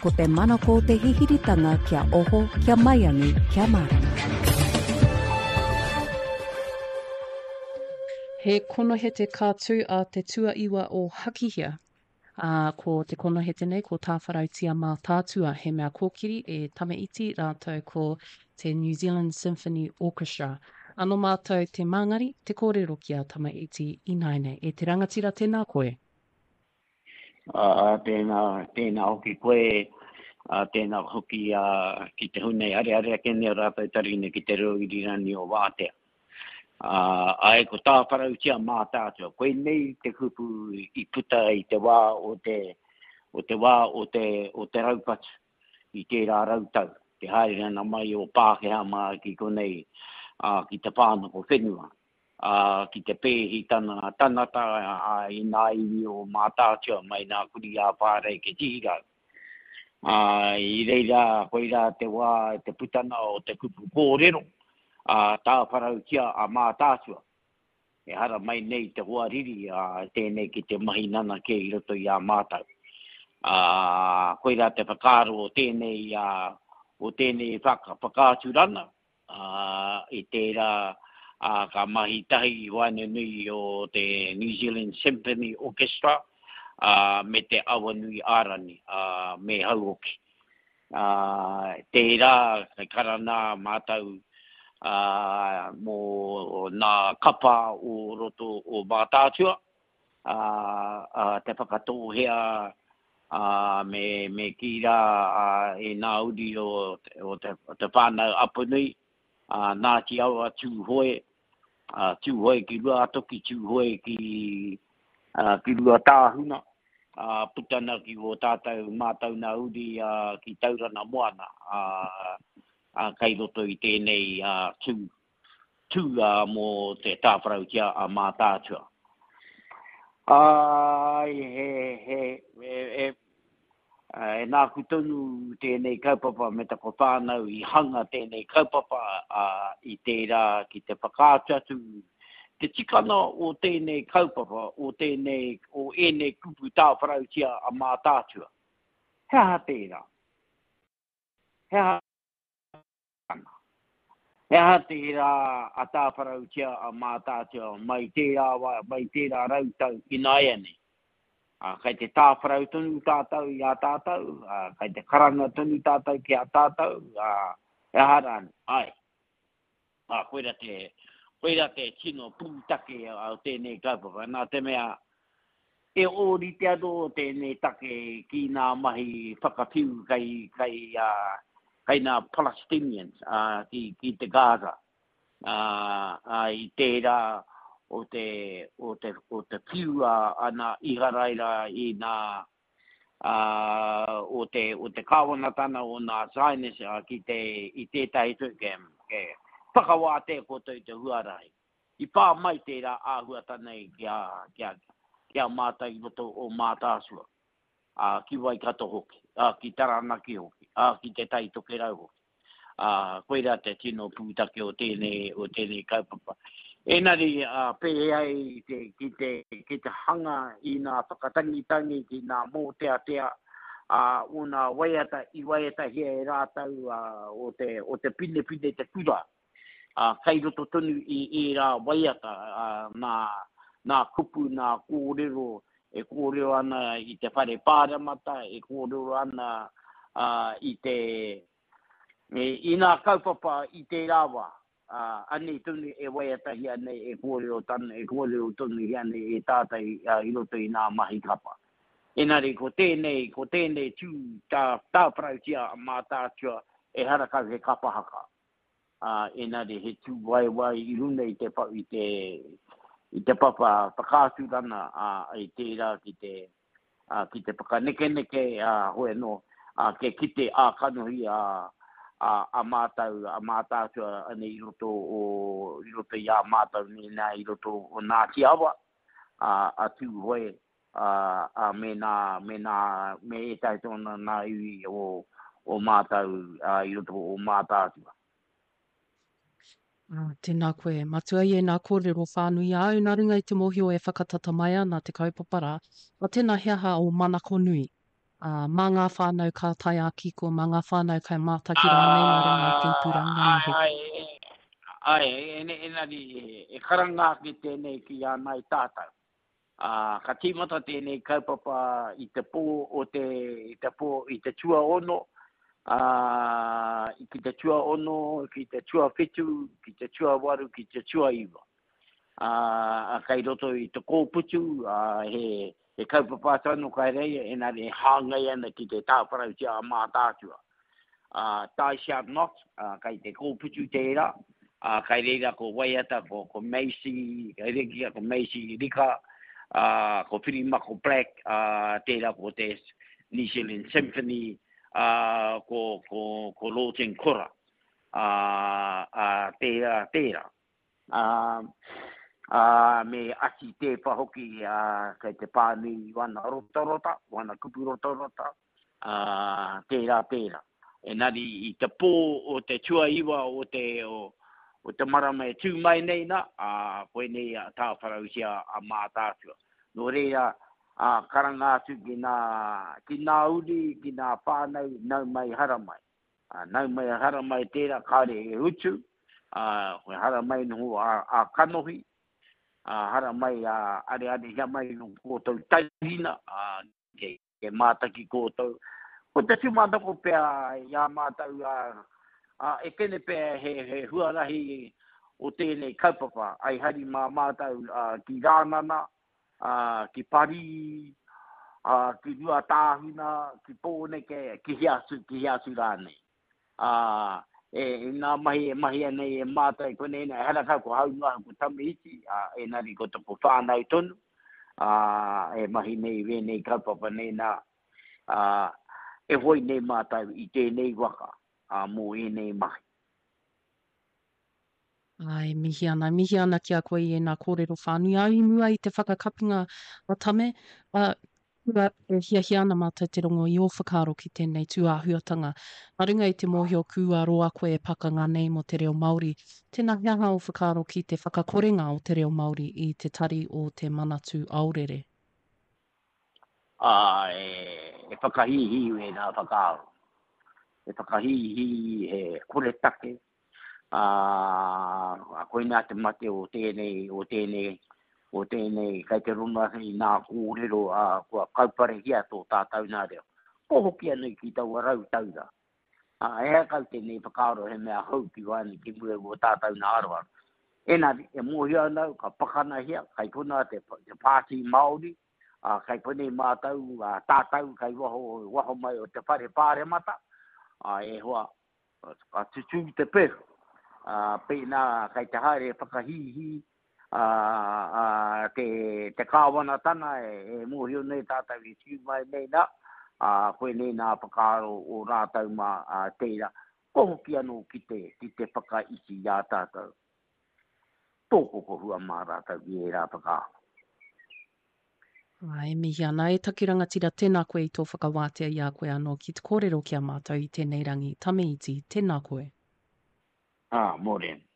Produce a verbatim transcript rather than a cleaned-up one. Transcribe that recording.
Ko te manako o te hihiritanga kia oho, kia maiangi, kia mārama. He konohete ka tū a te tuaiwa o Hakihea. Ā, ko te konohete nei ko Tāwharautia Mātaatua, he mea kōkiri e Tame Iti rātou ko te New Zealand Symphony Orchestra. Ano mātou te māngari, te kōrero ki a Tame Iti ināianei. E te rangatira, tēnā koe. Ā, tēnā, tēnā hoki koe, ā, tēnā hoki ā, ki te hunei areare ake nei o rātou taringa ki te reo irirangi o Wātea. Ā, āe, ko Tāwharautia Mātaatua, koinei te kupu i puta i te wā o te, o te wā o te, o te raupatu i tērā rautau, te haere ana mai o Pākehā mā ki konei, ā, ki te whānako whenua, ā, ki te pēhi tana tangata, ā, i nā iwi o Mātaatua mai nā Kurī ā-Whārei ki Tihirau. Ā, i reira, koirā te wā, te putana o te kupu kōrero, ā, Tāwharautia a Mātaatua. E hara mai nei te hoariri, ā, tēnei ki te mahi nanake i roto i a mātau. Ā, koirā te whakaaro o tēnei, ā, o tēnei whaka, whakaaturanga, ā, i tērā, ā, ka mahi tahi i waenganui o te New Zealand Symphony Orchestra, ā, me te Awanui Ārani, ā, me Hauoki. Ā, tērā, kei karana mātau, ā, mō nā kapa o roto o Mātaatua, ā, ā, te Whakatōhea, ā, me, me kī rā, ā, e nā uri o, o te, o te whānau Apanui, ā, Ngāti Awa, Tūhoe, ā, Tūhoe ki Ruatoki, Tūhoe ki, ā, ki Ruatāhuna, ā, puta ana ki wō tātou mātau nā uri, ā, ki Tauranga Moana, ā, ā, kei roto i tēnei, ā, tū, tū, ā, mō te Tāwharautia a Mātaatua. Ā, he, he, e, e, e nāku tonu tēnei kaupapa me taku whānau i hanga tēnei kaupapa, ā, i tērā ki te whakaatu atu te tikanga o tēnei kaupapa, o tēnei, o ēnei kupu Tāwharautia a Mātaatua. He aha tērā? He aha He aha tērā a Tāwharautia a Mātaatua mai tērā wā, mai tērā rautau ināianei? Ā, kei te tāwharau tonu tātou i a tātou, ā, kei te karanga tonu tātou ki a tātou, ā, he aha rānei? Āe. Ā, koira te, koira te tino pūtake o tēnei kaupapa, nā te mea e ōrite anō tēnei take ki ngā mahi whakawhiu kei, kei, ā, kei ngā Palestinians, ā, ki, ki te Gaza. Ā, ā, i tērā o te, o te, o te whiu a, a nā Iharaira i nā, ā, o te, o te kāwanatana o nā Zionist, ā, ki te, i tētahi tū, ke, ke whakawātea koutou i te huarahi. I pā mai tērā āhuatana i ki a, ki a, ki a mātou i roto o Mātaatua, ā, ki Waikato hoki, ā, ki Taranaki hoki, ā, ki Te Tai Tokerau hoki. Ā, koirā te tino pūtake o tēnei, o tēnei kaupapa. Engari, ā, pēhea ai te, ki te, ki te hanga i ngā whakatangitangi, ki ngā mōteatea, ā, o ngā waiata i waiatahia e rātou, ā, o te, o te pinepine te kura. Ā, kei roto tonu i ērā waiata, ā, nā, nā kupu, nā kōrero e kōrero ana i te whare pāremata, e kōrero ana, ā, i te, i ngā kaupapa i tērā wā. Ā, anei tonu e waiatahia nei, e kōrero tan, e kōrero tonuhia nei e tātou, ā, i roto i ngā mahi kapa. Engari ko tēnei, ko tēnei tū tā, tāwharautia a Mātaatua, ehara kau he kapa haka. Ā, engari he tū waiwai i runga i te, i te, i te papa whakaaturana, ā, i tērā ki te, ā, ki te whakanekeneke, ā, hoi anō, ā, ke kite ā kanohi, ā, ā, a mātau, a Mātaatua anei i roto o, i roto i a mātau nei nā i roto o Ngāti Awa, ā, a Tūhoe, ā, ā, me nā, me nā, me ētahi tōna nā iwi o, o mātau, ā, i roto o Mātaatua. Ā, tēnā koe, Matua, i ēnā kōrero whānui āu nā runga i te mōhio e whakatata mai ana te kaupapa rā. Ā, tēnā he aha ō manako nui, Ā, mā ngā whānau ka tae ā-kiko, mā ngā whānau kai mātaki rānei mā runga i te ipurangi anō hoki. Āe, āe, engari e karanga ake tēnei ki a ngāi tātou. Ā, ka tīmata tēnei kaupapa i te pō o te, i te pō, i te tuaono, ā, ki te tuaono, ki te tuawhitu, ki te tuawaru, ki te tuaiwa. Ā, kei roto i te kōputu, ā, he, he kaupapa atu anō kai reira, engari e hāngai ana ki te tāwharautia a Mātaatua. Ā, Thou Shalt Not, ā, kei te kōputu tērā, ā, kai reira ko Waiata, ko, ko Macy, kai reira ko Macy Rika, ā, ko Whirimako Black, ā, tērā ko te New Zealand Symphony, ā, ko, ko, ko Lawton Kora, ā, ā, tērā, tērā. Ā, ā, me Ati Tēwha hoki, ā, kei te pānui i wana rotarota, wana kupu rotarota, ā, tērā, tērā. Engari i te pō o te tuaiwa o te, o, o te marama e tū mai nei nā, ā, koinei a tāwharautia a Mātaatua. Nō reira, ā, karanga atu ki nā, ki nā uri, ki nā whānau, nau mai haramai. Ā, nau mai haramai tērā, kāore e utu, ā, koe haramai noho ā, ā kanohi, ā, haramai ā arearehia mai no koutou taurina, ā, kei, kei mātaki koutou. Ko te tūmanako pea i a mātou, ā, ā, e kene pea he, he huarahi o tēnei kaupapa, ai hari mā mātou ā, ki Rānana, ā, ki Parī, ā, ki Ruatāhuna, ki Pōneke, ki hea atu, ki hea atu rānei. Ā, e, i ngā mahi e mahia nei e mātou i konei nei, ehara kau ko Haunuahu, ko Tame Iti, ā, engari ko toko whānau tonu, ā, e mahi nei wēnei kaupapa nei nā, ā, e hoi nei mātou i tēnei waka, ā, mō ēnei mahi. Āe, mihi ana, mihi ana ki a koe i ēnā kōrero whānui. Ā, i mua i te whakakapinga a Tame, ā, kua e hiahia ana mātou te rongo i ō whakaaro ki tēnei tūāhuatanga. Nā runga i te mōhio kua roa koe e pakanga nei mō te reo Māori, tēnā he aha ō whakaaro ki te whakakorenga o te reo Māori i te tari o te Manatū Aorere? Ā, e, e whakahīhī wēnā whakaaro. E whakahīhī he koretake, ā, koinā te mate o tēnei, o tēnei, o tēnei, kei te rongo ake i ngā kōrero, ā, kua kauparehia tō tātou nā reo. Ko hoki anō ki taua rau taura. Ā, ehara kau tēnei whakaaro he mea hou ki waenga ki mua i wō tātou nā aroaro. Engari, e mōhio ana au, ka pakanahia, kei konā te, te Pāti Māori, ā, kei konei mātou, ā, tātou kei waho, waho mai o te whare pāremata, ā, e hoa, ka tutū te pehu, ā, pēnā kei te haere e whakahīhī, ā, ā, te, te kāwanatanga e, e mōhio nei tātou e tiu mai nei nā, ā, koinei nā whakaaro o rātou mā, ā, tērā, ko hoki anō ki te, ki te whakaiti i a tātou. Tō kokohua mā rātou ki ērā whakaaro. Ā, e mihi ana, e taku rangatira, tēnā koe i tō whakawātea i a koe anō ki te kōrero ki a mātou i tēnei rangi. Tame Iti, tēnā koe. Ā, mōrena.